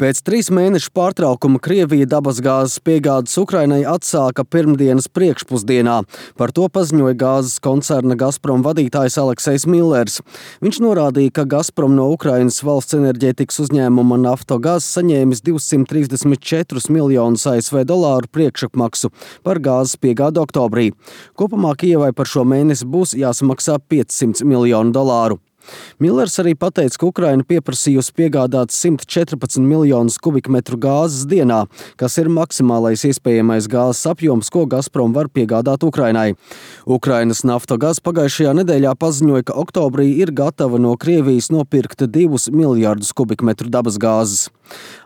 Pēc 3 mēnešu pārtraukuma Krievija dabasgāzes piegādes Ukrainai atsāka pirmdienas priekšpusdienā. Par to paziņoja gāzes koncerna Gazprom vadītājs Aleksejs Millers. Viņš norādīja, ka Gazprom no Ukrainas valsts enerģētikas uzņēmuma Naftogaz saņēmis 234 miljonus ASV dolāru priekšapmaksu par gāzes piegādi oktobrī. Kopumā Kijevai par šo mēnesi būs jāsamaksā 500 miljonu dolāru. Millers arī pateica, ka Ukraina pieprasījusi piegādāt 114 miljonus kubikmetru gāzes dienā, kas ir maksimālais iespējamais gāzes apjoms, ko Gazprom var piegādāt Ukrainai. Ukrainas Naftogaz pagājušajā nedēļā paziņoja, ka oktobrī ir gatava no Krievijas nopirkt 2 miljardus kubikmetru dabasgāzes.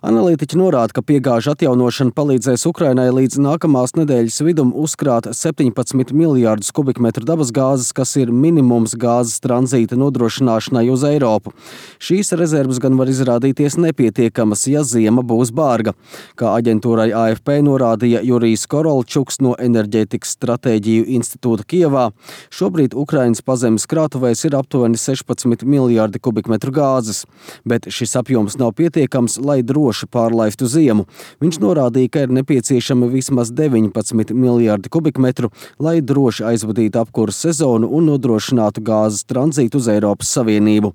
Analītiķi norāda, ka piegāžu atjaunošana palīdzēs Ukrainai līdz nākamās nedēļas vidum uzkrāt 17 miljardus kubikmetru dabasgāzes, kas ir minimums gāzes tranzīta nodrošināšanai uz Eiropu. Šīs rezerves gan var izrādīties nepietiekamas, ja ziema būs bārga. Kā aģentūrai AFP norādīja Jurijs Korolčuks no Enerģētikas stratēģiju institūta Kijevā, šobrīd Ukrainas pazemes krātuvēs ir aptuveni 16 miljardi kubikmetru gāzes, bet šis apjoms nav pietiekams, lai droši pārlaistu ziemu. Viņš norādīja, ka ir nepieciešami vismaz 19 miljardi kubikmetru, lai droši aizvadītu apkuras sezonu un nodrošinātu gāzes tranzītu uz Eiropas Savienību.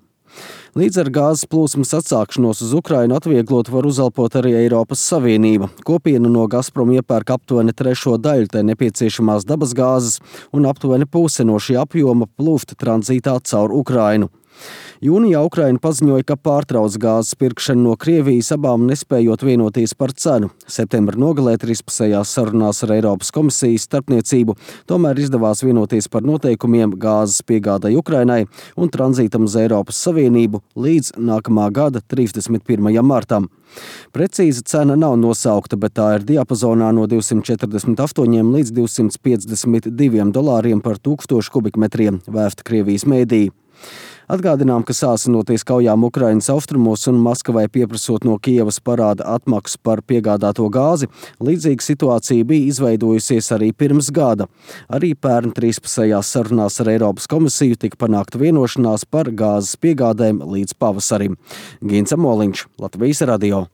Līdz ar gāzes plūsmas atsākšanos uz Ukrainu atvieglot var uzelpot arī Eiropas Savienība. Kopiena no Gazprom iepērk aptuveni 3. daļu tai nepieciešamās dabasgāzes un aptuveni puse no šī apjoma plūst tranzītā caur Ukrainu. Jūnijā Ukraina paziņoja, ka pārtrauc gāzes pirkšanu no Krievijas, abām nespējot vienoties par cenu. Septembra nogalē trīspusējās sarunās ar Eiropas komisijas starpniecību tomēr izdevās vienoties par noteikumiem gāzes piegādai Ukrainai un tranzītam uz Eiropas Savienību līdz nākamā gada 31. martam. Precīza cena nav nosaukta, bet tā ir diapazonā no 248 līdz 252 dolāriem par 1000 kubikmetriem, vēsta Krievijas mēdīji. Atgādinām, ka sāsinoties kaujām Ukrainas austrumos un Maskavai pieprasot no Kijevas parāda atmaksu par piegādāto gāzi, līdzīga situācija bija izveidojusies arī pirms gada. Arī pērn trīspusējās sarunās ar Eiropas komisiju tika panākta vienošanās par gāzes piegādēm līdz pavasarim. Gints Amoliņš, Latvijas radio.